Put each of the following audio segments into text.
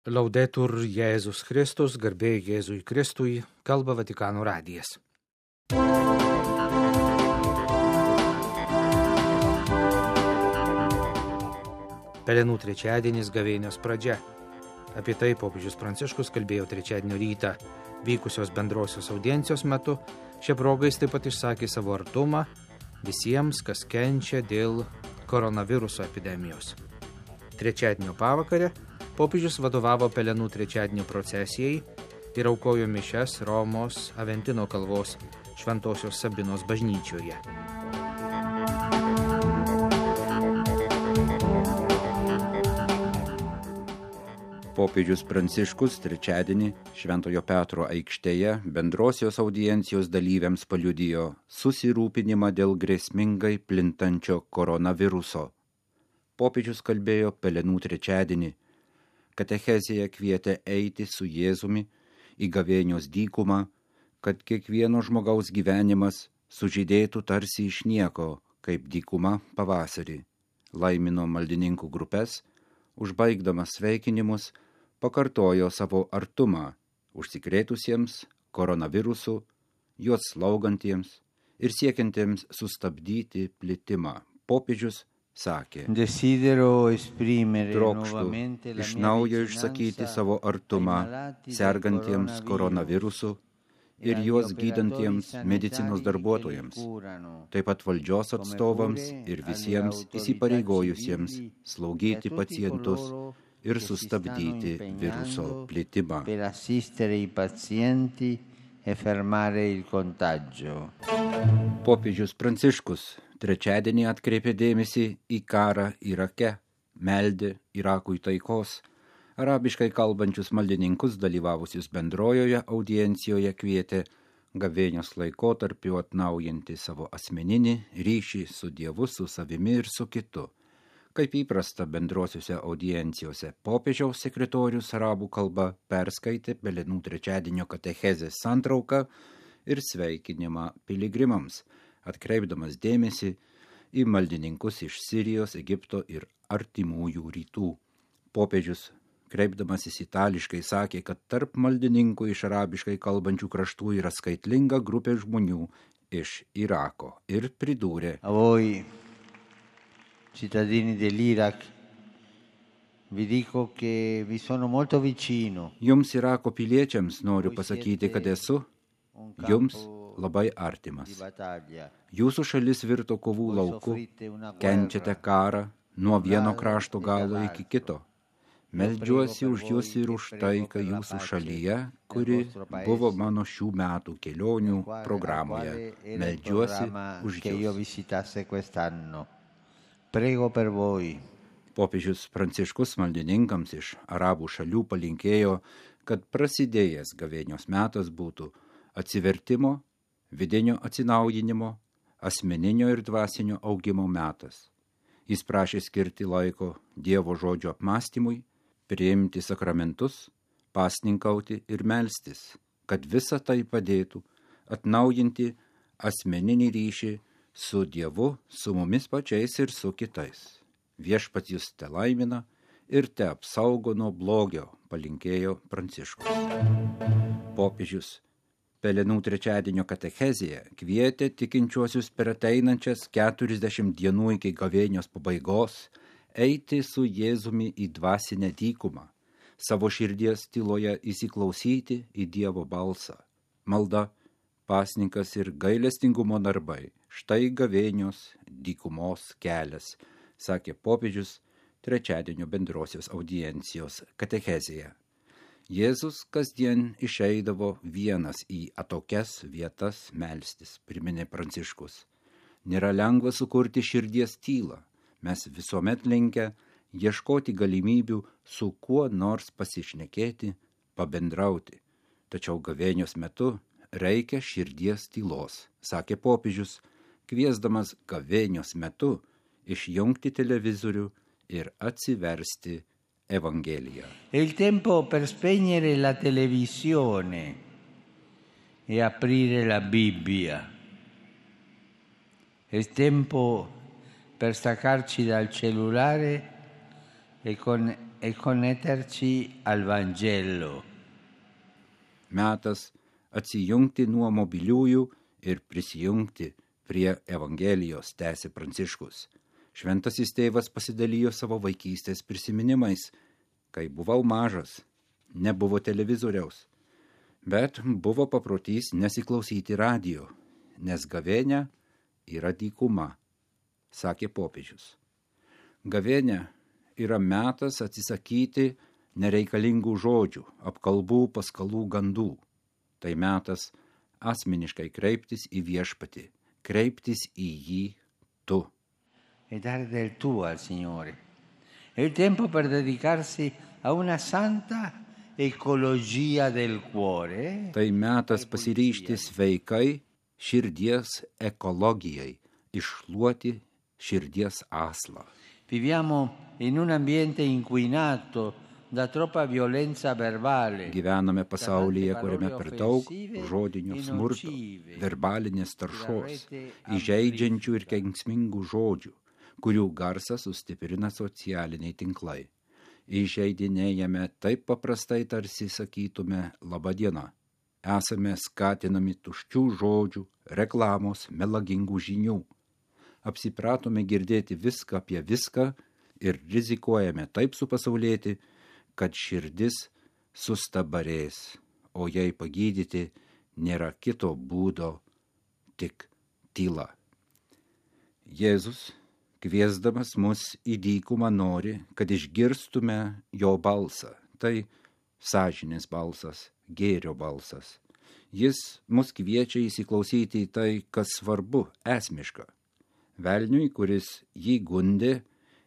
Laudetur Jėzus Kristus, garbė Jėzui Kristui, kalba Vatikano radijas. Pelenų trečiadienis gavėnios pradžia. Apie tai popiežius Pranciškus kalbėjo trečiadienio rytą vykusios bendrosios audiencijos metu. Šia proga jis taip pat išsakė savo artumą visiems, kas kenčia dėl koronaviruso epidemijos. Trečiadienio pavakarę popiežius vadovavo Pelenų trečiadienio procesijai ir aukojo mišias Romos Aventino kalvos Šventosios Sabinos bažnyčioje. Popiežius Pranciškus trečiadienį Šventojo Petro aikštėje bendrosios audiencijos dalyviams paliudijo susirūpinimą dėl grėsmingai plintančio koronaviruso. Popiežius kalbėjo Pelenų trečiadienį. Katechezėje kvietė eiti su Jėzumi į gavėnios dykumą, kad kiekvieno žmogaus gyvenimas sužydėtų tarsi iš nieko, kaip dykuma pavasarį. Laimino maldininkų grupes, užbaigdamas sveikinimus, pakartojo savo artumą užsikrėtusiems koronavirusu, juos slaugantiems ir siekiantiems sustabdyti plitimą. Popiežius sakė: trokštu iš naujo išsakyti savo artumą sergantiems koronavirusu ir juos gydantiems medicinos darbuotojams, taip pat valdžios atstovams ir visiems įsipareigojusiems slaugyti pacientus ir sustabdyti viruso plitimą. Popiežius Pranciškus trečiadienį atkreipė dėmesį į karą Irake, meldė Irakui taikos. Arabiškai kalbančius maldininkus dalyvavusius bendrojoje audiencijoje kvietė gavėnios laikotarpiu atnaujinti savo asmeninį ryšį su Dievu, su savimi ir su kitu. Kaip įprasta bendrosiuose audiencijose, popiežiaus sekretorius arabų kalba perskaitė Pelenų trečiadienio katechezės santrauką ir sveikinimą piligrimams, atkreipdamas dėmesį į maldininkus iš Sirijos, Egipto ir artimųjų rytų. Popiežius, kreipdamasis itališkai, sakė, kad tarp maldininkų iš arabiškai kalbančių kraštų yra skaitlinga grupė žmonių iš Irako ir pridūrė: A voi, cittadini dell'Iraq, vi dico che vi sono molto vicino. Jums Irako piliečiams noriu pasakyti, kad esu jums labai artimas. Jūsų šalis virto kovų lauku, kenčiate karą nuo vieno krašto galo iki kito. Meldžiuosi už jūs ir už taiką jūsų šalyje, kuri buvo mano šių metų kelionių programoje. Meldžiuosi už jūs. Popiežius Pranciškus maldininkams iš arabų šalių palinkėjo, kad prasidėjęs gavėnios metas būtų atsivertimo, vidinio atsinaujinimo, asmeninio ir dvasinio augimo metas. Jis prašė skirti laiko Dievo žodžio apmąstymui, priimti sakramentus, pasninkauti ir melstis, kad visa tai padėtų atnaujinti asmeninį ryšį su Dievu, su mumis pačiais ir su kitais. Viešpats jus te laimina ir te apsaugo nuo blogio, palinkėjo Pranciškus. Popiežius Pelenų trečiadienio katechezėje kvietė tikinčiuosius per ateinančias 40 dienų iki gavėnios pabaigos eiti su Jėzumi į dvasinę dykumą, savo širdies tyloje įsiklausyti į Dievo balsą. Malda, pasninkas ir gailestingumo darbai – štai gavėnios dykumos kelias, sakė popiežius trečiadienio bendrosios audiencijos katechezėje. Jėzus kasdien išeidavo vienas į atokias vietas melstis, priminė Pranciškus. Nėra lengva sukurti širdies tylą. Mes visuomet linkę ieškoti galimybių su kuo nors pasišnekėti, pabendrauti. Tačiau gavėnios metu reikia širdies tylos, sakė popiežius, kviesdamas gavėnios metu išjungti televizorių ir atsiversti Evangeliją. È il tempo per spegnere la televisione e aprire la Bibbia. È il tempo per staccarci dal cellulare e con e connetterci al Vangelo. Metas atsijungti nuo mobiliųjų ir prisijungti prie Evangelijos, tęsė Pranciškus. Šventasis tėvas pasidalijo savo vaikystės prisiminimais. Kai buvau mažas, nebuvo televizoriaus, bet buvo paprotys nesiklausyti radijo, nes gavėnia yra dykuma, sakė popiežius. Gavėnia yra metas atsisakyti nereikalingų žodžių, apkalbų, paskalų, gandų. Tai metas asmeniškai kreiptis į viešpatį, kreiptis į jį tu. E dare del tuo al Signore. È il tempo per dedicarsi a una santa ecologia del cuore. Tai metas pasiryžti sveikai širdies ekologijai, iššluoti širdies aslą. Viviamo in un ambiente inquinato da troppa violenza verbale. Gyvename pasaulyje, kuriame per daug žodinio smurto, verbalinės taršos, įžeidžiančių ir kenksmingų žodžių, kurių garsą sustiprina socialiniai tinklai. Įžeidinėjame taip paprastai, tarsi sakytume laba diena. Esame skatinami tuščių žodžių, reklamos, melagingų žinių. Apsipratome girdėti viską apie viską ir rizikuojame taip supasaulėti, kad širdis sustabarės, o jei pagydyti nėra kito būdo, tik tyla. Jėzus, kviesdamas mus į dykumą, nori, kad išgirstume jo balsą. Tai sąžinės balsas, gėrio balsas. Jis mus kviečia įsiklausyti į tai, kas svarbu, esmiška. Velniui, kuris jį gundė,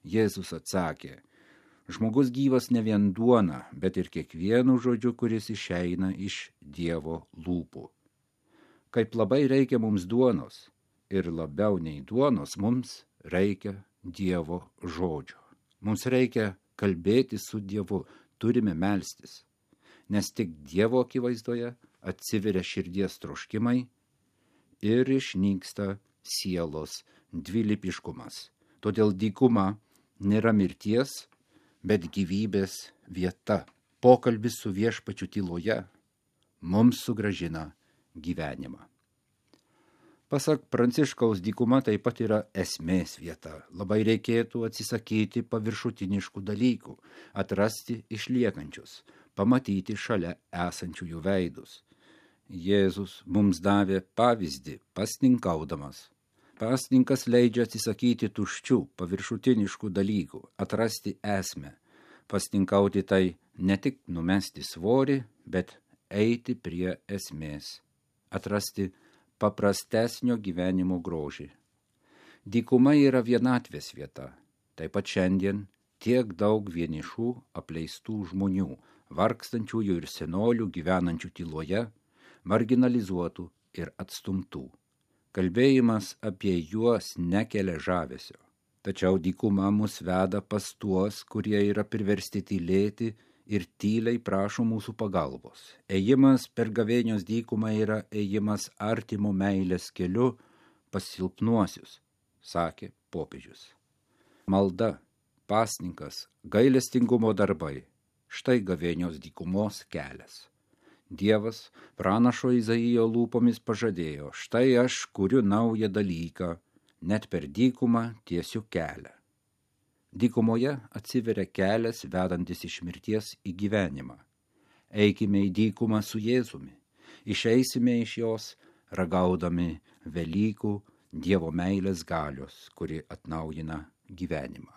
Jėzus atsakė: žmogus gyvas ne vien duona, bet ir kiekvienu žodžiu, kuris išeina iš Dievo lūpų. Kaip labai reikia mums duonos, ir labiau nei duonos mums reikia Dievo žodžio. Mums reikia kalbėti su Dievu, turime melstis, nes tik Dievo akivaizdoje atsiveria širdies troškimai ir išnyksta sielos dvilypiškumas. Todėl dykuma nėra mirties, bet gyvybės vieta. Pokalbis su viešpačiu tyloje mums sugrąžina gyvenimą. Pasak Pranciškaus, dykuma taip pat yra esmės vieta. Labai reikėtų atsisakyti paviršutiniškų dalykų, atrasti išliekančius, pamatyti šalia esančiųjų veidus. Jėzus mums davė pavyzdį pasninkaudamas. Pasninkas leidžia atsisakyti tuščių, paviršutiniškų dalykų, atrasti esmę. Pasninkauti tai ne tik numesti svorį, bet eiti prie esmės, atrasti paprastesnio gyvenimo grožį. Dykuma yra vienatvės vieta. Taip pat šiandien tiek daug vienišų, apleistų žmonių, vargstančiųjų ir senolių gyvenančių tyloje, marginalizuotų ir atstumtų. Kalbėjimas apie juos nekelia žavesio. Tačiau dykuma mus veda pas tuos, kurie yra priversti tylėti ir tyliai prašo mūsų pagalbos. Ėjimas per gavėnios dykumą yra ėjimas artimo meilės keliu pas silpnuosius, sakė popiežius. Malda, pasninkas, gailestingumo darbai – štai gavėnios dykumos kelias. Dievas pranašo Izaijo lūpomis pažadėjo: štai aš kuriu naują dalyką, net per dykumą tiesiu kelią. Dykumoje atsiveria kelias vedantis iš mirties į gyvenimą. Eikime į dykumą su Jėzumi, išeisime iš jos ragaudami Velykų Dievo meilės galios, kuri atnaujina gyvenimą.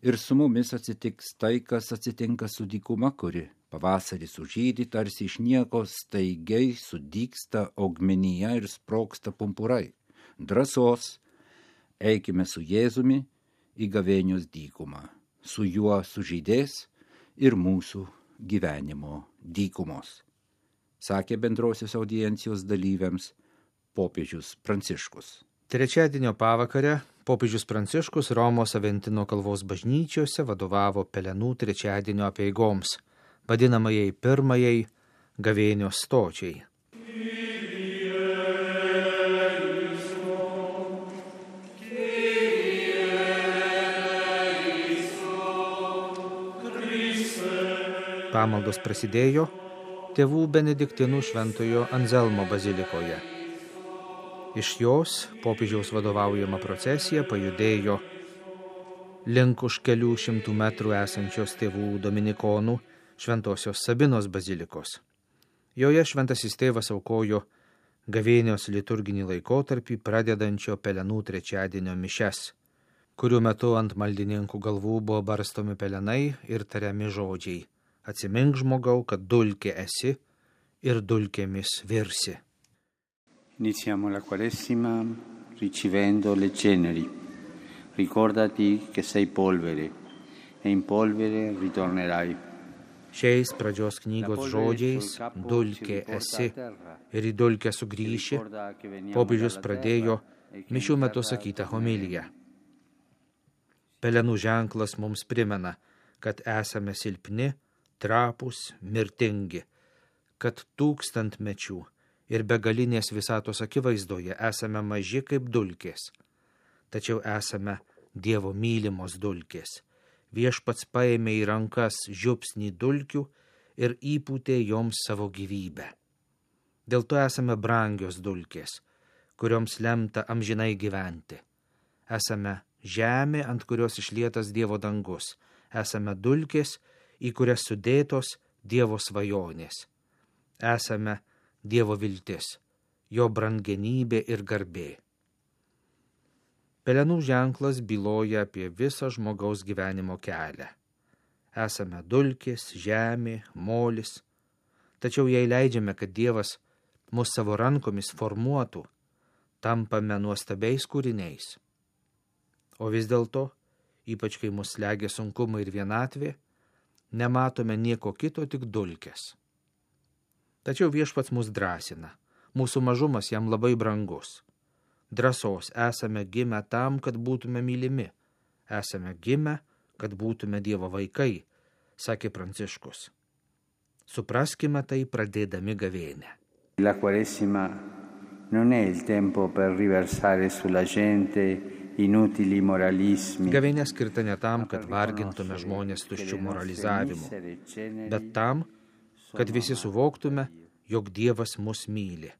Ir su mumis atsitiks tai, kas atsitinka su dykuma, kuri pavasarį sužydi, tarsi iš nieko staigiai sudygsta augmenija ir sprogsta pumpurai. Drąsos, eikime su Jėzumi į gavėnios dykumą. Su juo sužydės ir mūsų gyvenimo dykumos, sakė bendrosios audiencijos dalyviams popiežius Pranciškus. Trečiadienio pavakarę popiežius Pranciškus Romos Aventino kalvos bažnyčiose vadovavo Pelenų trečiadienio apeigoms, vadinamajai pirmajai gavėnios stočiai. Pamaldos prasidėjo tėvų benediktinų šventojo Anzelmo bazilikoje. Iš jos popiežiaus vadovaujama procesija pajudėjo link už kelių šimtų metrų esančios tėvų dominikonų Šventosios Sabinos bazilikos. Joje šventasis tėvas aukojo gavėnios liturginį laikotarpį pradedančio pelenų trečiadienio mišes, kurių metu ant maldininkų galvų buvo barstomi pelenai ir tariami žodžiai: atsimink žmogau, kad dulkė esi ir dulkėmis virsi. Iniziamo la Quaresima ricevendo le ceneri. Ricordati che sei polvere e in polvere ritornerai. Šiais pradžios knygos žodžiais dulkė esi ir į dulkę sugrįši, popiežius pradėjo mišių metu sakytą homiliją. Pelenų ženklas mums primena, kad esame silpni, trapūs, mirtingi, kad tūkstantmečių ir begalinės visatos akivaizdoje esame maži kaip dulkės, tačiau esame Dievo mylimos dulkės. Viešpats paėmė į rankas žiupsnį dulkių ir įpūtė joms savo gyvybę. Dėl to esame brangios dulkės, kurioms lemta amžinai gyventi. Esame žemė, ant kurios išlietas Dievo dangus. Esame dulkės, į kurias sudėtos Dievo svajonės. Esame Dievo viltis, jo brangenybė ir garbė. Pelenų ženklas byloja apie visą žmogaus gyvenimo kelią. Esame dulkės, žemė, molis, tačiau jei leidžiame, kad Dievas mus savo rankomis formuotų, tampame nuostabiais kūriniais. O vis dėlto, ypač kai mus slegia sunkumai ir vienatvė, nematome nieko kito, tik dulkės. Tačiau viešpats mus drąsina, mūsų mažumas jam labai brangus. Drąsos esame gimę tam, kad būtume mylimi. Esame gimę, kad būtume Dievo vaikai, sakė Pranciškus. Supraskime tai pradėdami gavėnią. La Quaresima non è il tempo per riversare sulla gente inutili moralismi. Gavėnė skirta ne tam, kad vargintume žmonės tuščių moralizavimu, bet tam, kad visi suvoktume, jog Dievas mus myli.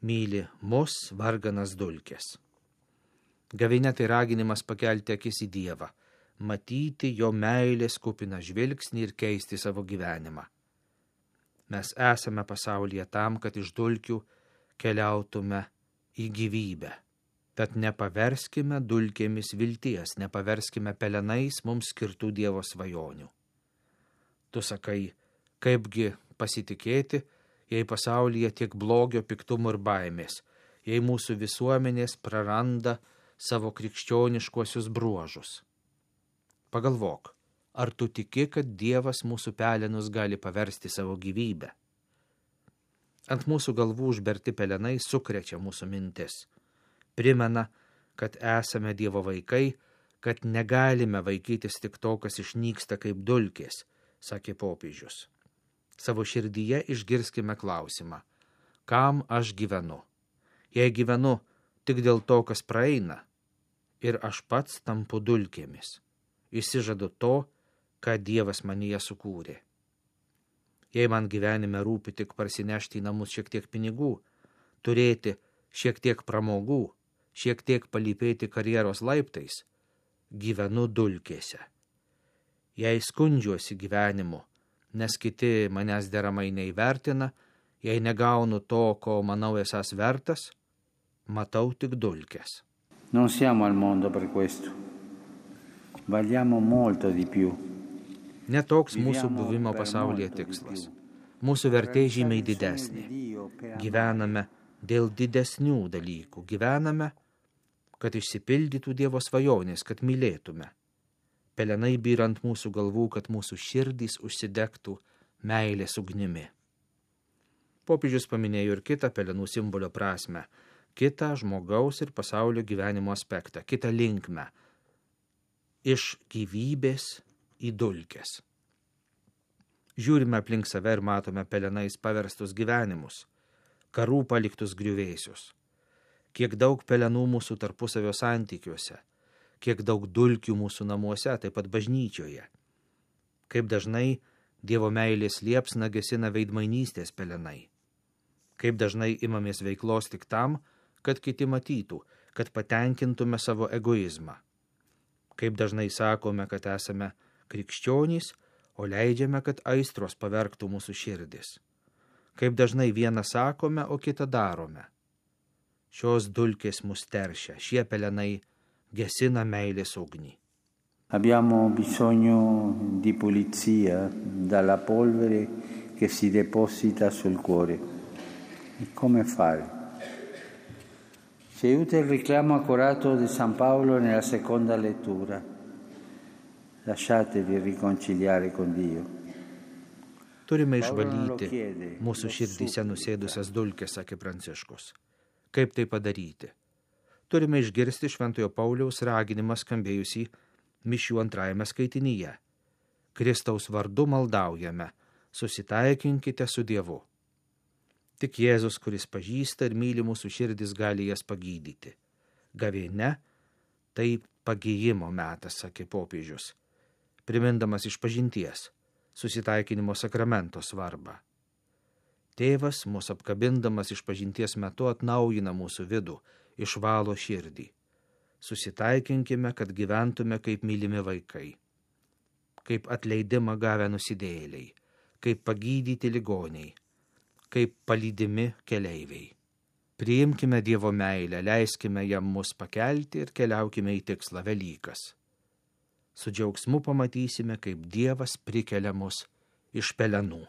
Myli mus varganas dulkės. Gavėnia tai raginimas pakelti akis į Dievą, matyti jo meilės kupiną žvilgsnį ir keisti savo gyvenimą. Mes esame pasaulyje tam, kad iš dulkių keliautume į gyvybę. Tad nepaverskime dulkėmis vilties, nepaverskime pelenais mums skirtų Dievo svajonių. Tu sakai, kaipgi pasitikėti, jei pasaulyje tiek blogio, piktumo ir baimės, jei mūsų visuomenės praranda savo krikščioniškuosius bruožus. Pagalvok, ar tu tiki, kad Dievas mūsų pelenus gali paversti savo gyvybę? Ant mūsų galvų užberti pelenai sukrečia mūsų mintis. Primena, kad esame Dievo vaikai, kad negalime vaikytis tik to, kas išnyksta kaip dulkės, sakė popiežius. Savo širdyje išgirskime klausimą, kam aš gyvenu? Jei gyvenu tik dėl to, kas praeina, ir aš pats tampu dulkėmis, išsižadu to, ką Dievas manyje sukūrė. Jei man gyvenime rūpi tik parsinešti į namus šiek tiek pinigų, turėti šiek tiek pramogų, šiek tiek palypėti karjeros laiptais, gyvenu dulkėse. Jei skundžiuosi gyvenimu, nes kiti manęs deramai neįvertina, jei negaunu to, ko manau esas vertas, matau tik dulkes. Non siamo al mondo per questo. Valiamo molto di più. Netoks mūsų buvimo pasaulyje tikslas. Mūsų vertė žymiai didesnė. Gyvename dėl didesnių dalykų. Gyvename, kad išsipildytų Dievo svajonės, kad mylėtume. Pelenai byra ant mūsų galvų, kad mūsų širdys užsidegtų meilės ugnimi. Popiežius paminėjo ir kitą pelenų simbolio prasmę, kitą žmogaus ir pasaulio gyvenimo aspektą, kitą linkmę. Iš gyvybės į dulkes. Žiūrime aplink save ir matome pelenais paverstus gyvenimus, karų paliktus griuvėsius. Kiek daug pelenų mūsų tarpusavio santykiuose, kiek daug dulkių mūsų namuose, taip pat bažnyčioje. Kaip dažnai Dievo meilės liepsna gesina veidmainystės pelenai. Kaip dažnai imamės veiklos tik tam, kad kiti matytų, kad patenkintume savo egoizmą. Kaip dažnai sakome, kad esame krikščionys, o leidžiame, kad aistros pavergtų mūsų širdis. Kaip dažnai vieną sakome, o kitą darome. Šios dulkės mus teršia, šie pelenai gesina meilės ugnį. Abbiamo bisogno di pulizia dalla polvere che si deposita sul cuore. E come fare? Ci aiuta il richiamo accorato di San Paolo nella seconda lettura. Lasciatevi riconciliare con Dio. Turime išvalyti mūsų širdyse nusėdusias dulkes, sakė Pranciškus. Kaip tai padaryti? Turime išgirsti Šventojo Pauliaus raginimą skambėjusį mišių 2 skaitinyje. Kristaus vardu maldaujame, susitaikinkite su Dievu. Tik Jėzus, kuris pažįsta ir myli mūsų širdis, gali jas pagydyti. Gavėnia – tai pagijimo metas, sakė popiežius, primindamas išpažinties, susitaikinimo sakramento svarbą. Tėvas, mus apkabindamas išpažinties metu, atnaujina mūsų vidų, išvalo širdį. Susitaikinkime, kad gyventume kaip mylimi vaikai, kaip atleidimą gavę nusidėjėliai, kaip pagydyti ligoniai, kaip palydimi keleiviai. Priimkime Dievo meilę, leiskime jam mus pakelti ir keliaukime į tikslą Velykas. Su džiaugsmu pamatysime, kaip Dievas prikelia mus iš pelenų.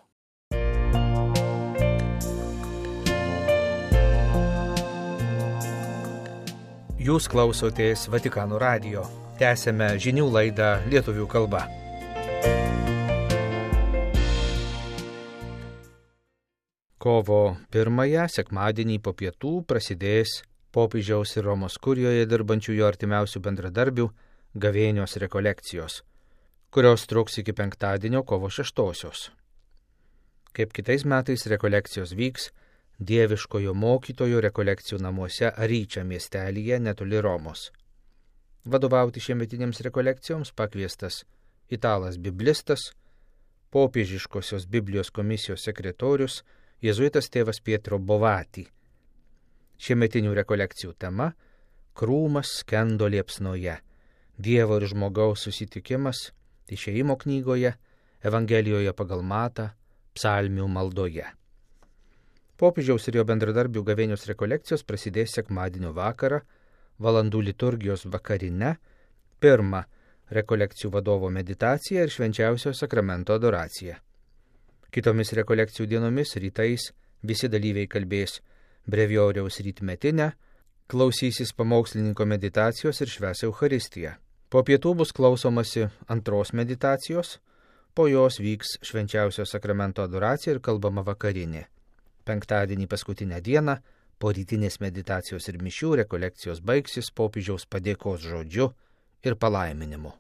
Jūs klausotės Vatikano radijo. Tęsėme žinių laidą lietuvių kalba. Kovo 1 sekmadienį po pietų prasidės popiežiaus ir Romos kurijoje dirbančiųjų artimiausių bendradarbių gavėnios rekolekcijos, kurios truks iki penktadienio kovo 6. Kaip kitais metais rekolekcijos vyks Dieviškojo mokytojo rekolekcijų namuose Aryčia miestelyje netoli Romos. Vadovauti šiemetinėms rekolekcijoms pakviestas italas biblistas, popiežiškosios Biblijos komisijos sekretorius, jėzuitas tėvas Pietro Bovati. Šiemetinių rekolekcijų tema – Krūmas skendo liepsnoje, Dievo ir žmogaus susitikimas Išėjimo knygoje, Evangelijoje pagal Matą, Psalmių maldoje. Popiežiaus ir jo bendradarbių gavėnios rekolekcijos prasidės sekmadienio vakarą, valandų liturgijos vakarine, 1 rekolekcijų vadovo meditacija ir švenčiausio sakramento adoracija. Kitomis rekolekcijų dienomis rytais visi dalyviai kalbės brevioriaus rytmetinę, klausysis pamokslininko meditacijos ir švęs Eucharistiją. Po pietų bus klausomasi 2 meditacijos, po jos vyks švenčiausio sakramento adoracija ir kalbama vakarinė. Penktadienį paskutinę dieną, po rytinės meditacijos ir mišių rekolekcijos baigsis popiežiaus padėkos žodžiu ir palaiminimu.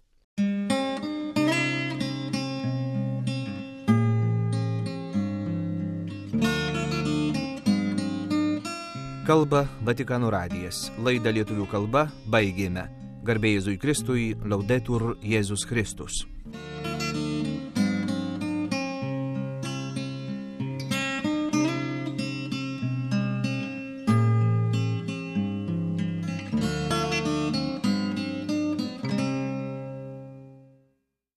Kalba Vatikano radijas. Laidą lietuvių kalba baigėme. Garbė Jėzui Kristui, Laudetur Jėzus Kristus.